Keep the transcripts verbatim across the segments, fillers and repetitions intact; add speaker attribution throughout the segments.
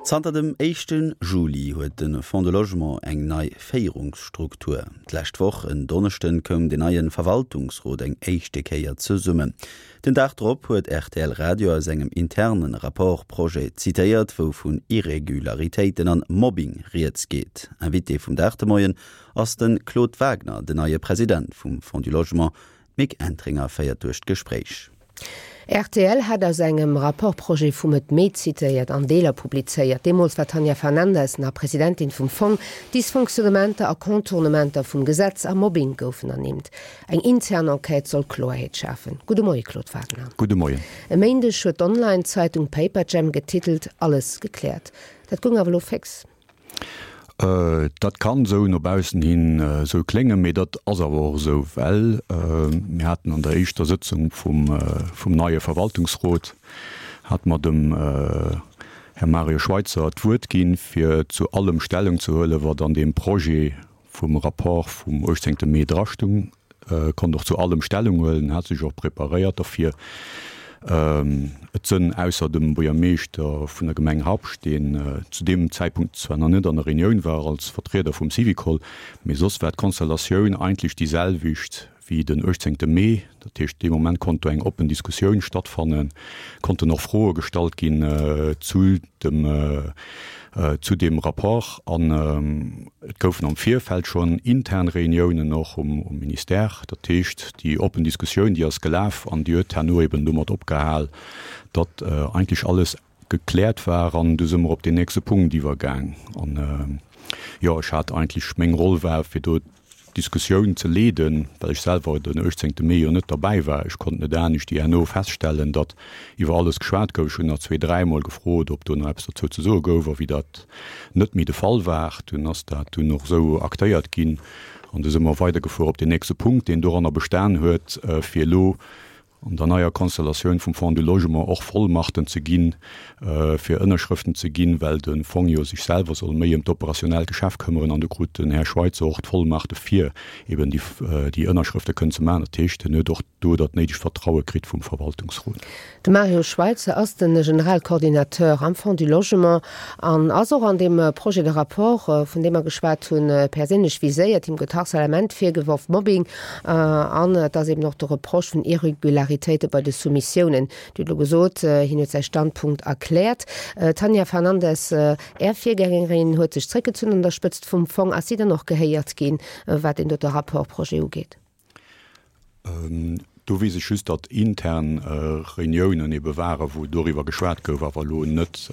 Speaker 1: Zanter dem éischte Juli huet de Fonds de Logement eng nei Féierungsstruktur. D'lescht Woch en Donneschden koum den neie Verwaltungsrot eng éischte Kéier zesummen. Den Dag drop huet rtl Radio aus engem internen Rapport-Projet zitéiert, wou vun Irregularitéiten an Mobbing rieds geet. Invité vum Dag de Moien ass de Claude Wagner, den neie President vum Fonds du Logement. D'Mick Entringer féiert duerch d'Gespréich.
Speaker 2: Rtl hat aus engem Rapport-Projet vu Mëtt Mee zitéiert an Deeler publizéiert. Deemools war d'Tanja Fernandes nach Presidentin vum Fong. Dysfonctionnementer a Contournementer vum Gesetz a Mobbing goufen ernimmt. Eng intern Enquête soll Kloerheet schafen. Gudde Moie Claude Wagner.
Speaker 3: Gudde Moien.
Speaker 2: E Méindeg huet d'Online-Zeitung Paperjam getitelt Alles gekläert. Dat goung awer elo féx.
Speaker 3: Dat kann esou no baussen hin esou kléngen, mee dat ass awer och esou, well mir haten an der éischter Sëtzung vum vum neie Verwaltungsrot hate mer dem Här Mario Schweitzer d'Wuert ginn, fir zu allem Stellung ze huelen, wat an deem Projet vum Rapport vum uechtzéngte Mee drastung. Konnt och zu allem Stellung huelen, hat sech och preparéiert derfir. Et sënn ausser dem Buergermeeschter vun der Gemeng Habscht, deen zu deem Zäitpunkt zwar nach net an der Reunioun war als Vertrieder vum Syvicol, mee soss war d'Konstellatioun eigentlech déi selwecht wéi den uechtzéngte Mee. Dat heescht, dee Moment konnt do eng oppen Diskussioun stattfannen, konnten och Froe gestallt ginn zu dem zu deem Rapport an et goufen am Virfeld schonn intern Reuniounen och um Ministère. Dat heescht, déi oppen Diskussioun, déi ass gelaf an déi huet herno eben domat opgehal, datt eigentlech alles gekläert war an du si mer op deen nächste Punkt iwwergaang. An jo, ech hat eigentlech, meng Roll war, fir do d'Diskussioun ze leeden, well ech selwer den uechtzéngte Mee jo net derbäi war. Ech konnt net anescht déi herno feststellen, datt iwwer alles geschwat gouf. Ech hunn nach zwee, dräimol gefrot, ob do nach eppes dozou ze soe gouf, a wéi dat net méi de Fall war, dunn ass dat dunn och esou aktéiert ginn an du si mer weidergefuer op deen nächste Punkt, deen doranner bestan huet, fir elo an der neier Konstellatioun vum Fonds du Logement och Vollmachten ze ginn, fir Ënnerschrëften ze ginn, well de Fong jo sech selwer soll méi ëm d'operationell Geschäft këmmeren. An do krut den Här Schweitzer och d'Vollmachte fir eben déi Ënnerschrëfte kënnen ze maachen. Dat heescht, en huet och do dat néidegt Vertraue kritt vum Verwaltungsrot.
Speaker 2: De Mario Schweitzer ass de Generalcoordinateur am Fonds du Logement an ass och an deem Projet de rapport, vun deem mer geschwat hunn, perséinlech viséiert. Him gëtt Harcèlement virgeworf, Mobbing an et ass eben och de Reproche vun Irregularitéite bei de Soumissiounen. Dir hutt elo gesot, hien huet säi Standpunkt erkläert. D'Tanja Fernandes, Är Virgängerin, huet sech zréckgezunn an der Spëtzt vum Fong. Ass si dann och gehéiert ginn, wat deen dote Rapport-Projet ugeet?
Speaker 3: Do weess ech just, datt intern Reuniounen ebe waren, wou doriwwer geschwat gouf, awer elo net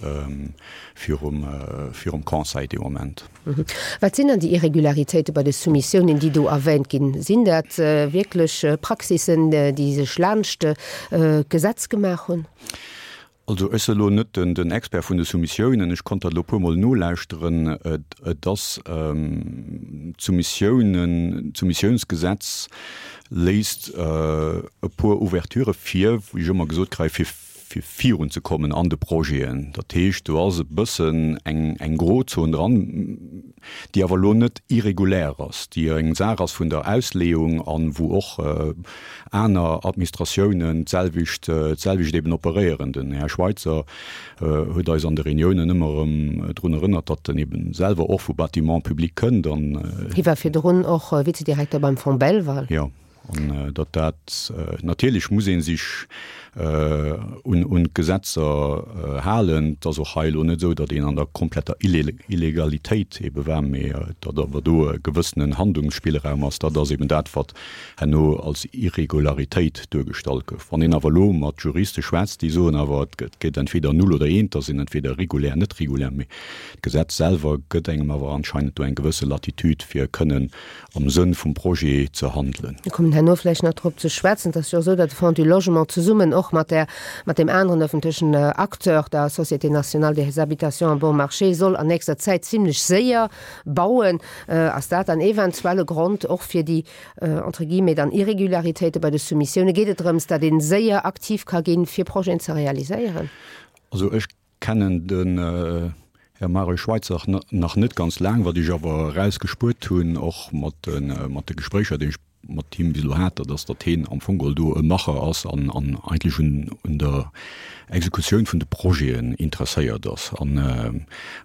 Speaker 3: virum, virum Conseil dee Moment.
Speaker 2: Wat sinn dann déi Irregularitéite bei de Soumissiounen, déi do erwähnt ginn? Sinn dat wierklech Praxissen, déi sech laanscht d'Gesetz gemaach hunn?
Speaker 3: Also ech sinn elo net den Expert vun de Soumissiounen, ech konnt dat elo e puermol nolauschteren. Et ass d'Soumissiounen, d'Soumissiounsgesetz léisst e puer Ouverturë vir, wéi ech ëmmer gesot kréien, fir fir virunzekommen an de Projeten. Dat heescht, do ass e bëssen eng eng Grozon dran, déi awer elo net irregulär ass, déi eng Saach ass vun der Ausleeung an wou och aner Administratiounen d'selwecht d'selwecht eben operéieren. Den Här Schweitzer huet eis an de Reuniounen ëmmer erëm drun erënnert, datt en eben selwer och vu Bâtiments publics kënnt an.
Speaker 2: Hie war virdrun och Vizedirekter beim Fonds Belval.
Speaker 3: Jo. An datt dat, natierlech muss ee sech un d'Gesetzer halen. Et ass och hei elo net esou, datt een an der kompletter Illegalitéit ebe war, mee datt awer do e gewëssenen Handlungsspillraum ass. Dat ass eben dat, wat herno als Irregularitéit duergestallt gouf. Wann een awer elo mat Juriste schwätzt, déi soen awer, et gëtt entweder null oder eent, da sinn entweder regulär, net regulär. Mee d'Gesetz selwer gëtt engem awer anscheinend do eng gewësse Latitude, fir kënnen am Sënn vum Projet ze handelen.
Speaker 2: Mir kommen herno vläicht nach drop ze schwätzen. Et ass jo och esou, datt de Fonds du Logement zesummen och mat där, mat deem aneren öffentlechen Acteur, der Société nationale des habitations bon marché, soll an nächster Zäit zimlech séier bauen. Ass dat dann eventuell e Grond och fir déi, entre guillemets, dann Irregularitéite bei de Soumissiounen? Geet et drëms, datt ee séier aktiv ka ginn, fir Projeten ze realiséieren?
Speaker 3: Also ech kennen den Här Mario Schweitzer nach net ganz laang. Wat ech awer erausgespuert hunn, och mat de, mat de Gespréicher, déi ech mat him bis elo hat, dat ass, datt hien am Fong geholl do e Macher ass an an eigentlech un un der Exekutioun vun de Projeten interesséiert ass. An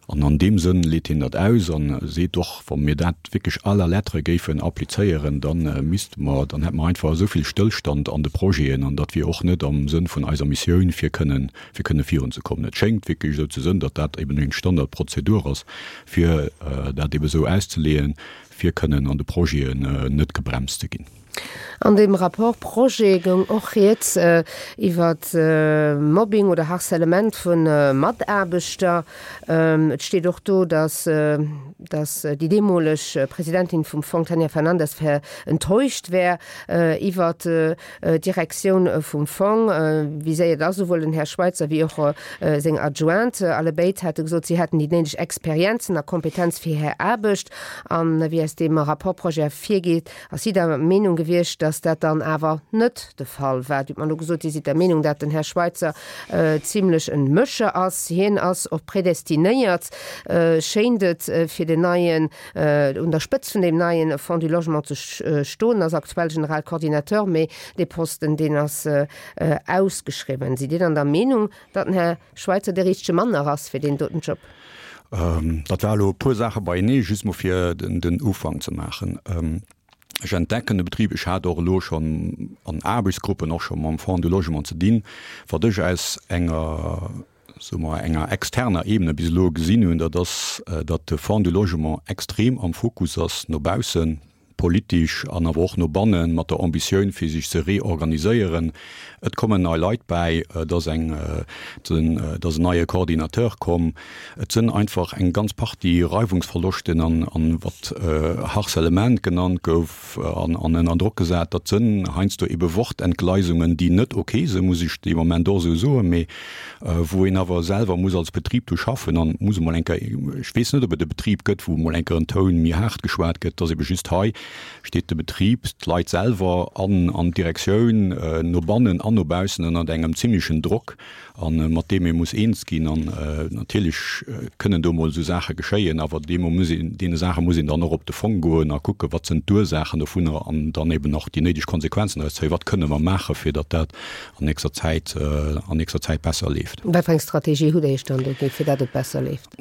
Speaker 3: an an deem Sënn leet hien dat aus a seet och, wa mir dat wierklech à la lettre géifen applizéieren, da misste mer, dann hätte mer einfach esou vill Stëllstand an de Projeten an dat wier och net am Sënn vun eiser Missioun, fir kënnen fir kënne virunzekommen. Et schéngt wierklech esou ze sënn, datt dat eben eng Standardprozedur ass, fir dat ebe sou auszeleeën, fir kënnen an de Projeten net gebremst ze ginn.
Speaker 2: An deem Rapport Projet goung och rieds iwwer Mobbing oder Harcèlement vu Mataarbechter. Et steet och do, datt déi deemoleg Presidentin vum Fong, Tania Fernandes, enttäuscht wär iwwer d'Direktioun vum Fong. Viséiert ass esouwuel den Här Schweitzer wéi och seng Adjointe. Allebéid hate gesot, si hätten déi néideg Experienzen a Kompetenz fir hir Aarbecht. An wéi aus deem Rapport Projet ervirgeet, ass si der Meenung gewiescht, datt dat dann awer net de Fall war. Dir hutt mer elo gesot, Dir sidd der Meenung, datt den Här Schweitzer zimlech en Mëscher ass. Hien ass och predestinéiert, schéint et, fir den neien, un der Spëtzt vun deem neie Fonds du Logement ze stoen, ass aktuell Generalcoordinateur, mee dee Posten, deen ass ausgeschriwwen. Sidd Dir dann der Meenung, datt den Här Schweitzer dee richtege Mann nach ass fir deen doten Job?
Speaker 3: Dat war elo e puer Saache beienee, just mol fir den Ufank ze maachen. Ech entdecken de Betrib, ech hat och elo schonn an Aarbechtsgruppen och scho mam Fonds du Logement ze dinn. Wat ech aus enger, soe mer, enger externer Ebene bis elo gesinn hunn, dat ass, datt de Fonds du Logement extrem am Fokus ass no baussen, politesch an awer och no bannen, mat der Ambitioun fir sech ze reorganiséieren. Et kommen nei Leit bäi, et ass eng, et ass en neie Coordinateur komm. Et sënn einfach eng ganz Partie Reiwungsverloschten an, an wat Harcèlement genannt gouf an, an ënner Drock gesat. Dat sënn heiansdo ebe Wortentgleisungen, déi net ok sënn, muss ech dee Moment och esou soen, mee wou een awer selwer muss als Betrib do schaffen an muss emol eng Kéier, ech weess net, ob et e Betrib gëtt, wou emol eng Kéier en Toun méi haart geschwat gëtt, et ass ebe just hei steet de Betrib, d'Leit selwer an an d'Direktioun no bannen an no baussen ënnert engem zimlechen Drock a mat deem ee muss eens ginn. An natierlech kënnen do emol esou Saache geschéien, awer deemo muss een, deene Saache muss een dann och op de Fong goen a kucken, wat sinn d'Ursaachen dovunner an dann eben och déi néideg Konsequenzen draus zéien, wat kënne mer maachen, fir datt dat an nächster Zäit, an nächster Zäit besser leeft.
Speaker 2: Wat fir eng Strategie hutt Der Iech dann do gi fir datt et besser leeft?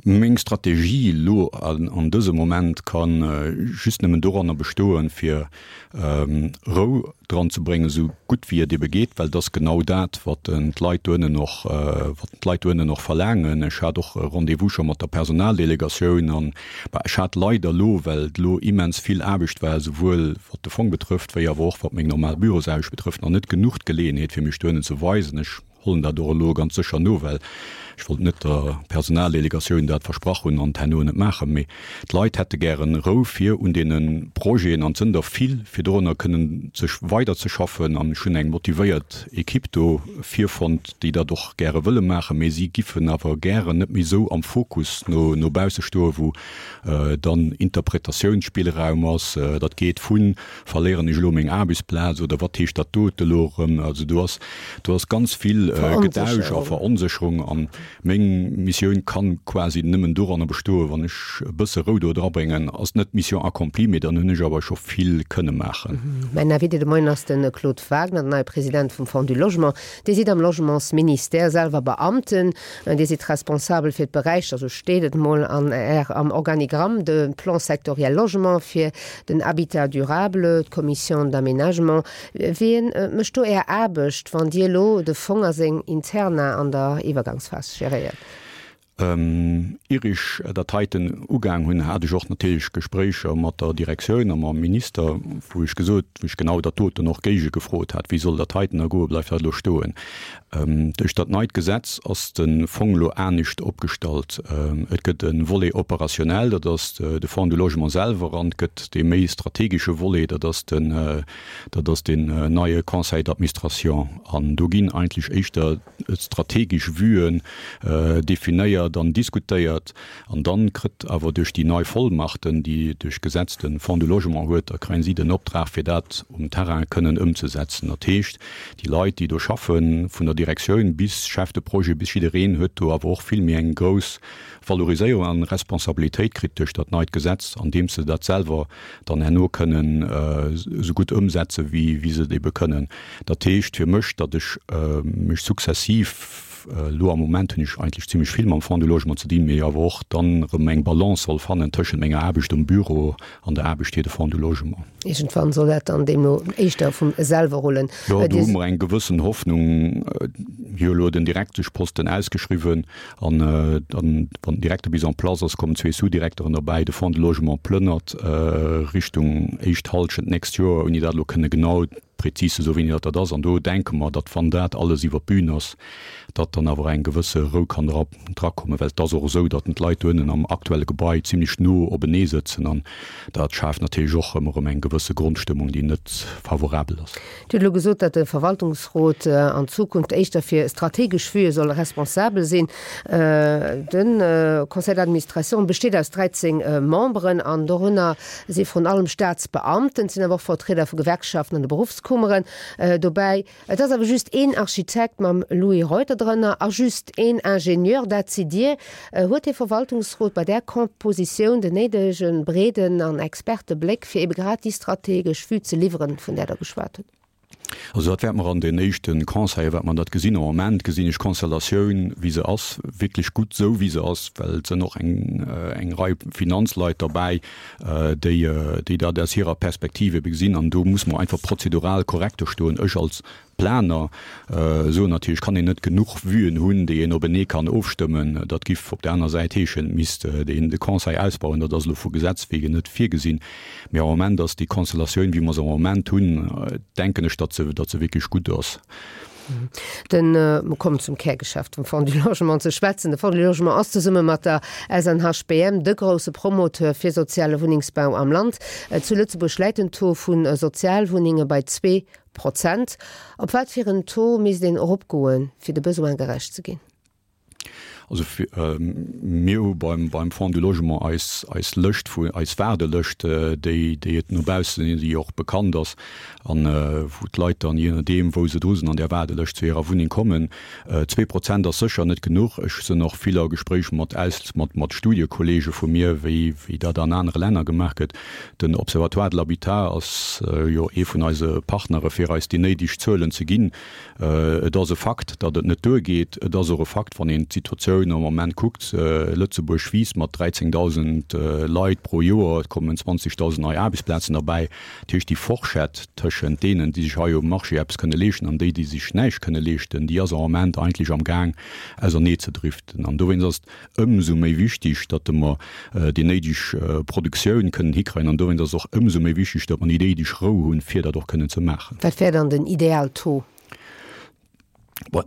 Speaker 3: Meng Strategie elo an dësem Moment ka just nëmmen doranner bestoen, fir Rou dran ze bréngen, esou gutt wéi et ebe geet, well et ass genau dat, wat d'Leit doënnen och, wat d'Leit doënnen och verlaangen. Ech hat och e Rendez-vous scho mat der Personaldelegatioun an, bah, ech hat leider elo, well et elo immens vill Aarbecht war, esouwuel wat de Fong betrëfft, wéi awer och wat meng normal Bürosaarbecht betrëfft, nach net genuch d'Geleeënheet, fir mech doënnen ze weisen. Ech hollen dat och elo ganz sécher no, well ech wollt net der Personaldelegatioun dat versprach hunn an et herno net maachen. Mee d'Leit hätte gären Rou fir un deene Projeten, an et sënn der vill, fir dorunner kënnen ze weiderzeschaffen. An ech hunn eng motivéiert Equipe do virfonnt, déi dat och gäre wëlle maachen, mee si giffen awer gären net méi esou am Fokus no no bausse stoen, wou dann Interpretatiounsspillraum ass. Dat geet vu verléieren ech elo meng Aarbechtsplaz oder wat heescht dat dote elo erëm? Also do ass do ass ganz vill Gedausch a Veronsécherung. An meng Missioun kann quasi nëmmen doranner bestoen, wann ech e bësse Rou do drabréngen. Ass net Mission accomplie, mee dann hunn ech awer scho vill kënne maachen.
Speaker 2: Mäin Invité de Moien ass de Claude Wagner, den neie President vum Fonds du Logement. Dir sidd am Logementsministère selwer Beamten. Dir sidd responsabel fir d'Beräicher, esou steet et mol an Är am Organigramm, de Plan sectoriel Logement, fir den Habitat durable, d'Commission d'aménagement. Wien mécht do Är Aarbecht, wann Dir elo de Fong a seng Interna an der Iwwergangsphas geréiert?
Speaker 3: Ier ech dat heiten ugaang hunn, hat ech och natierlech Gespréicher mat der Direktioun a mam Minister, wou ech gesot, wou ech genau dat doten och géigegefrot hat, Wéi soll dat heiten da goen? Bleift dat elo stoen? Duerch dat neit Gesetz ass de Fong elo anescht opgestallt. Et gëtt e Volet opérationnel, dat ass de Fonds du Logement selwer, an et gëtt dee méi strategesche Volet, dat ass den, dat ass deen neie Conseil d'administration. An do ginn eigentlech éischter strategesch Vuen definéiert dann diskutéiert an dann kritt awer duerch déi nei Vollmachten, déi duerch Gesetz de Fonds du Logement huet, da kréien si den Optrag fir dat um Terrain kënnen ëmzesetzen. Dat heescht, déi Leit, déi do schaffen, vun der Direktioun bis Chef de projet bis jiddereen huet do awer och vill méi eng grouss Valoriséierung an Responsabilitéit kritt duerch dat neit Gesetz, andeems se dat selwer dann herno kënnen esou gutt ëmsetze wéi wéi se et ebe kënnen. Dat heescht fir mech, datt ech mech sukzessiv, elo am Moment hunn ech eigentlech zimlech vill mam Fonds du Logement ze dinn, mee awer och dann erëm eng Balance soll fannen tëschent menger Aarbecht um Büro an der Aarbecht fir de Fonds du Logement.
Speaker 2: Iergendwann soll dat dann deemno éischter vum selwer rullen.
Speaker 3: Jo, do hu mer eng gewëssen Hoffnung. Mir hu elo den Direkteschposten ausgeschriwwen an dann, wann den Direkter bis en place ass, kommen zwee Sous-Direkteren derbäi. De Fonds de Logement plënnert Richtung éischt Hallschent d'nächst Joer, ouni dat elo kënne genau prezis ze soen, wéini dat dat ass. An do denke mer, datt wann dat alles iwwer d'Bün ass, datt dann awer eng gewësse Rou kann dra drakommen, well et ass och esou, datt d'Leit doënnen am aktuelle Gebai zimlech no openee sëtzen an dat schaaft natierlech och ëmmer erëm eng gewësse Grondstëmmung, déi net favorabel ass.
Speaker 2: Dir hutt elo gesot, datt de Verwaltungsrot an Zukunft éischter fir strategesch Vuë soll responsabel sinn. De Conseil d'administration besteet aus dräizéng Memberen an dorënner si vrun allem Staatsbeamten, et sinn awer och Vertrieder vu Gewerkschaften an de Beruffskummeren dobäi. Et ass awer just een Architekt mam Louis Reuter drënner a just een Ingenieur, dat sidd Dir. Huet dee Verwaltungsrot bei där Kompositioun den néidege breeden an Expertebléck, fir ebe grad déi strategesch Vue ze liwweren, vun där Der geschwat hutt?
Speaker 3: Also dat wäerte mer an den éischte Conseile wäerte mer dat gesinn. Am Moment gesinn ech d'Konstellatioun, wéi se ass, wierklech gutt esou, wéi se ass, well et sënn och eng eng Rei Finanzleit derbäi, déi déi dat aus hirer Perspektiv ebe gesinn. An do muss mer einfach prozedural korrekt do stoen. Ech als Planer soen natierlech, kann een net genuch Vuen hunn, déi een openee kann ofstëmmen. Dat giff op där aner Säit heeschen, et misst een de Conseil ausbauen. Dat ass elo vu Gesetz wegen net virgesinn. Mee am Moment ass déi Konstellatioun, wéi mer se am Moment hunn, denken ech, datt se, datt se wierklech gutt ass.
Speaker 2: Den, mer kommen zum Kärgeschäft vum Fonds du Logement ze schwätzen. De Fonds du Logement ass zesumme mat der S N H B M de grousse Promoteur fir soziale Wunnengsbau am Land. Zu Lëtzebuerg läit den Taux vu Sozialwunnenge bei zwee Prozent. Op wat fir en Taux misst een eropgoen, fir de Besoin gerecht ze ginn?
Speaker 3: Also mir hu beim beim Fonds du Logement eis eis Lëscht vu eis Waardelëscht, déi déi et no baussen hin, déi och bekannt ass an wou d'Leit dann, jee nodeem wou se dru sinn an där Waardelëscht, zu hirer Wunneng kommen. Zwee Prozent ass sécher net genuch. Ech sinn och vill a Gespréich mat aus mat mat Studiekollege vu mir, wéi wéi dat an anere Länner gemaach gëtt. Den Observatoire de l'habitat ass jo ee vun eise Partnere fir eis déi néideg Zuelen ze ginn. Et ass e Fakt, datt et net duergeet. Et ass och e Fakt, wann een d'Situatioun am Moment kuckt, Lëtzebuerg wiisst mat dräizéngdausend Leit pro Joer, et kommen zwanzegdausend nei Aarbechtsplazen derbäi. Dat heescht, déi Forschett tëschent deenen, déi sech hei um Marché eppes kënne leeschten, an déi, déi sech näischt kënne leeschten, déi ass am Moment eigentlech amgaang auserneezedriften. An dowéinst ass et ëmsou méi wichtig, datt mer déi néideg Produktioun kënnen hikréien. An dowéinst ass et och ëmsou méi wichtig, datt mer déi néideg Rou hunn, fir dat och kënnen ze maachen.
Speaker 2: Wat wär dann den Idealtaux?
Speaker 3: Bon,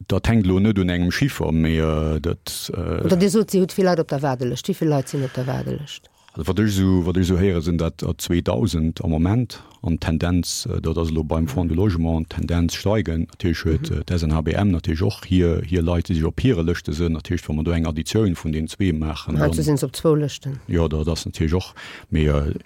Speaker 3: dat hänkt elo net un engem Chiffer, mee dat.
Speaker 2: Oder Dir sot, Dir hutt vill Leit op der Waardelëscht. Wéi vill Leit sinn op der Waardelëscht?
Speaker 3: Also wat ech esou, wat ech esou héieren, sinn dat der zweedausend am Moment. An d'Tendenz, dat ass elo beim Fonds du Logement, d'Tendenz steigend. Natierlech huet d'S N H B M natierlech och hir, hir Leit, déi sech op hire Lëschte sinn. Dat heescht, wa mer do eng Additioun vun deenen zwee maachen,
Speaker 2: dann. Heiansdo sinn se op zwou Lëschten.
Speaker 3: Jo, dat ass natierlech och. Mee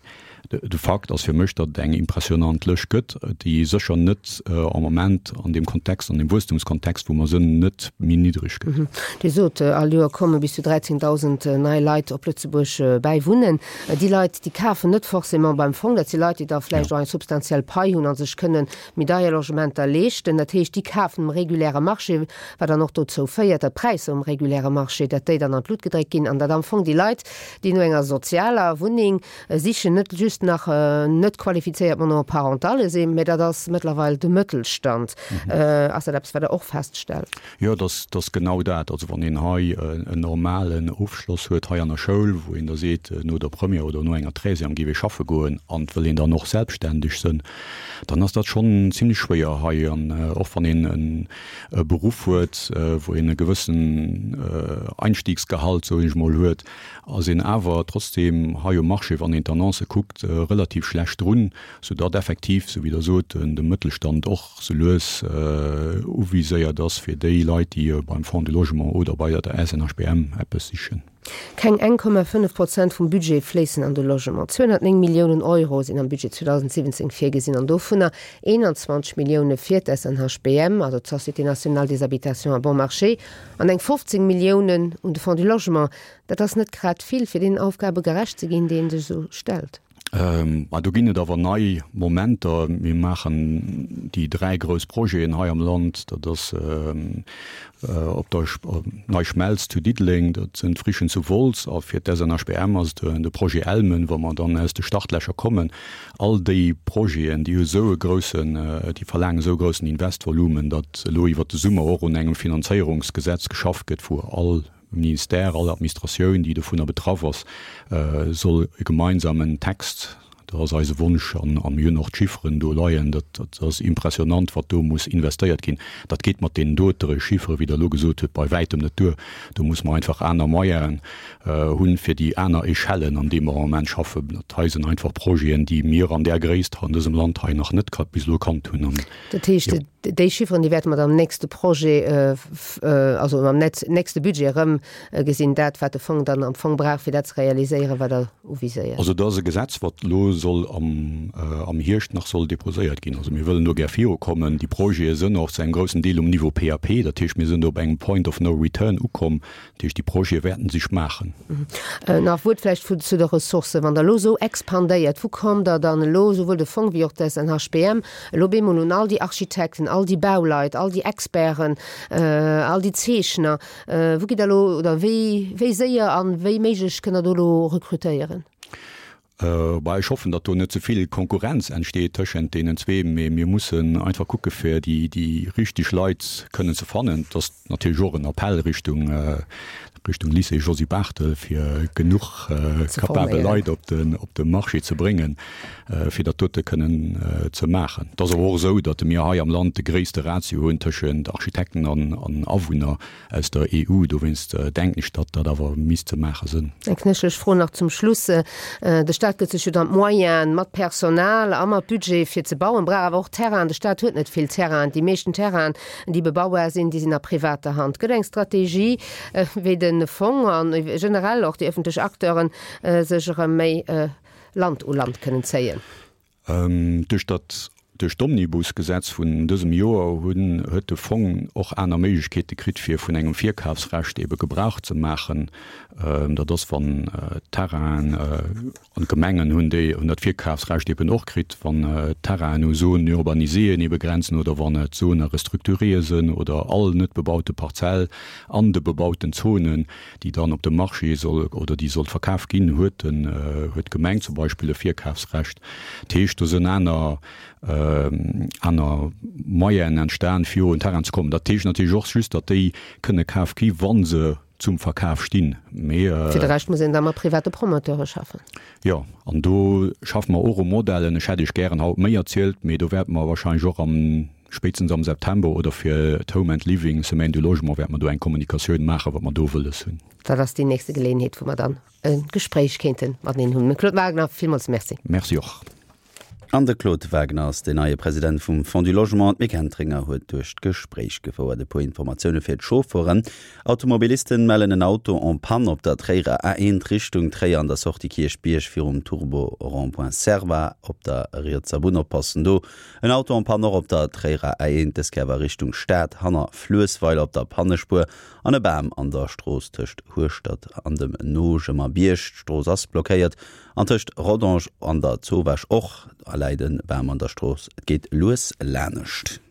Speaker 3: de Fakt ass fir mech, datt et eng impressionant Lëscht gëtt, déi sécher net am Moment an deem Kontext, an deem Wuesstumskontext, wou mer sënn, net méi niddreg gëtt.
Speaker 2: Dir sot, all Joer komme bis zu dräizéngdausend nei Leit op Lëtzebuerg bäi wunnen. Déi Leit, déi kafen net forcément beim Fong, dat si Leit, déi da vläicht och eng substantiell Pai hunn a sech kënne méi deier Logementer leeschten. Dat heescht, déi kafen um reguläre Marché, wat dann och dozou féiert, datt d'Präisser um reguläre Marché, datt déi dann an d'Lut gedréckt ginn an datt am Fong déi Leit, déi no enger sozialer Wunneng sichen, net just nach net qualifizéiert Monoparentalle sinn, mä dat ass mëttlerweil de Mëttelstand. Ass dat eppes, wat Der och feststellt?
Speaker 3: Jo, dat ass genau dat. Also wann een hei en normalen Ofschloss huet hei an der Schoul, wou een da seet, no der Première oder no enger Treizième géif ee schaffe goen an et wëll een dann och selbstständeg sënn, dann ass dat schonn zimlech schwéier hei. An och wann een e Beruff huet, wou een e gewëssen Einstiegsgehalt, soen ech mol, huet, ass een awer trotzdeem hei um Marché, wann een d'Annoncë kuckt, Maart relativ schlecht drun, soudatt effektiv, sou wéi Der sot, de Mëttelstand och sou lues uviséiert ass fir déi Leit, déi beim Fonds du Logement oder bei der S N H B M eppes sichen.
Speaker 2: Keng eng Komma fënnef Prozent vum Budget fléissen an de Logement. Zweehonnertnéng Milliounen Euro sinn am Budget zweedausendsiwwenzéng virgesinn an dovunner eenanzwanzeg Millioune fir d'S N H B M, also d'Société nationale des habitations à bon marché, an eng fofzéng Milliounen un de Fonds du Logement. Dat ass net grad vill, fir deenen Aufgabe gerecht ze ginn, déi ee sech esou stellt.
Speaker 3: Mä do ginn et awer nei Momenter. Mir maachen déi dräi grouss Projeten hei am Land, dat ass op der Nei Schmelz zu Diddeleng, dat sinn d'Frichen zu Wolz a fir d'S N H B M ass et de Projet Elmen, wou mer dann aus de Startlächer kommen. All déi Projeten, déi hu sou e groussen, déi verlaangen esou e groussen Investvolumen, datt elo iwwert de Summer och un engem Finanzéierungsgesetz geschafft gëtt, wou all Ministère, all Administratioun, déi dovunner betraff ass, soll e gemeinsamen Text, dat ass eise Wonsch, an a mir hunn och d'Chifferen do leien, dat dat ass impressionnant, wat do muss investéiert ginn. Dat geet mat deenen dotere Chiffere, wéi Der elo gesot hutt, bei wäitem net duer. Do muss mer einfach aner Moyenen hunn, fir déi aner Echellen, an deem mer am Moment schaffen. Dat hei sinn einfach Projeten, déi mir an där Gréisst an dësem Land hei nach net bis elo kannt hunn. An
Speaker 2: Dat heescht, jo. Déi Chifferen, déi wäerte mer dann am nächste Projet, also am nächste Budget erëm gesinn, dat wat de Fong dann am Fong brauch, fir dat ze realiséieren, wat Der uviséiert.
Speaker 3: Also dat ass e Gesetz, wat elo soll am am Hierscht nach soll déposéiert ginn. Also mir wëllen do gär virukommen. Déi Projete sënn och zu engem groussen Deel um Niveau P A P, dat heescht, mir sënn do op engem Point of no return ukomm. Dat heescht, déi Projete wäerten sech maachen.
Speaker 2: Nach e Wuert vläicht zu de Ressourcen. Wann Der elo esou expandéiert, wou kommt Der dann elo, souwuel de Fong wéi och d'S N H B M, elo bemol un all déi Architekten, all déi Bauleit, all déi Experten, all déi Zeechner, wou gitt Der elo, oder wéi, wéi séier a wéi méiglech kënnt Der do elo rekrutéieren?
Speaker 3: Bah, ech hoffen, datt do net ze vill Konkurrenz entsteet tëschent deenen zwee, mee mir mussen einfach kucke fir déi, déi richteg Leit kënnen ze fannen. Et ass natierlech och en Appell Richtung, Richtung Lycée Josy Barthel, fir genuch capabel Leit op den, op de Marché ze bréngen, fir dat dote kënnen ze maachen. Et ass awer och esou, datt mir hei am Land de gréisste Ratio hunn tëschent Architekten an, an Awunner aus der E U. Dowéinst denken ech, datt dat awer misst ze maache sënn.
Speaker 2: Eng knéchelech Fro nach zum Schluss. De Staat gëtt sech jo dann d'Moyenen mat Personal a mat Budget fir ze bauen, brauch awer och Terrainen. De Staat huet net vill Terrainen. Déi meeschten Terrainen, déi bebaubar sinn, déi sinn a privater Hand. Gëtt eng Strategie, wéi de Fong an generell och déi ëffentlech Acteuren sech erëm méi Land u Land kënnen zéien?
Speaker 3: Duerch dat Duerch d'Omnibusgesetz vun dësem Joer hunn huet de Fong och aner Méiglechkeete kritt, fir vun engem Virkafsrecht ebe Gebrauch ze maachen. Dat ass, wann Terrainen, an d'Gemengen hunn déi hunn dat Virkafsrecht eben och kritt, wann Terrainen u Zones urbaniséeën ebe grenzen oder wann et Zones à restructurer sënn oder all net bebaute Parzell an de bebauten Zonen, déi dann op dem Marché soll oder déi soll verkaf ginn, huet den huet d'Gemeng zum Beispill e Virkafsrecht. Dat heescht, do sënn aner aner Moyenen entstan, fir un Terrain ze kommen. Dat heescht natierlech och just, datt déi kënne kaf gi wa se zum Verkaf stinn.
Speaker 2: Mee Fir de Rescht muss een da mat private Promoteure schaffen.
Speaker 3: Jo, an do schaffe mer och u Modellen. Ech hätt Iech gären haut méi erzielt, mee do wäerte mer wahrscheinlech och am, spéitstens am September oder fir d'Home and Living Semaine du Logement wäerte mer do eng Kommunikatioun maachen, wat mer do wëlles hunn.
Speaker 2: Dat ass déi nächste Geleeënheet, wou mer dann e Gespréich kéinte mateneen hunn. Mme Claude Wagner, villmools Merci.
Speaker 3: Merci och.
Speaker 1: An de Claude Wagner ass den neie President vum Fonds du Logement. D'Mick Entringer huet duerch d'Gespréich gefouert. E puer Informatioune fir d'Chauffeuren. Automobilisten mellen en Auto en panne op der Tréierer A eent Richtung Tréier an der Sortie Kierchbierg virum Turbo Rond-point Serva op der rietser Bunn. Oppassen do. En Auto en panne och op der Tréierer A eent, dës Kéier awer Richtung Stad hanner Fluessweiler op der Pannespuer an e Bam an der Strooss tëscht Hueschtert an dem Nojemerbierg. D'Strooss ass blockéiert an tëscht Rodange an der Zowaasch och läit e Bam an der Strooss. Et geet lues lanescht.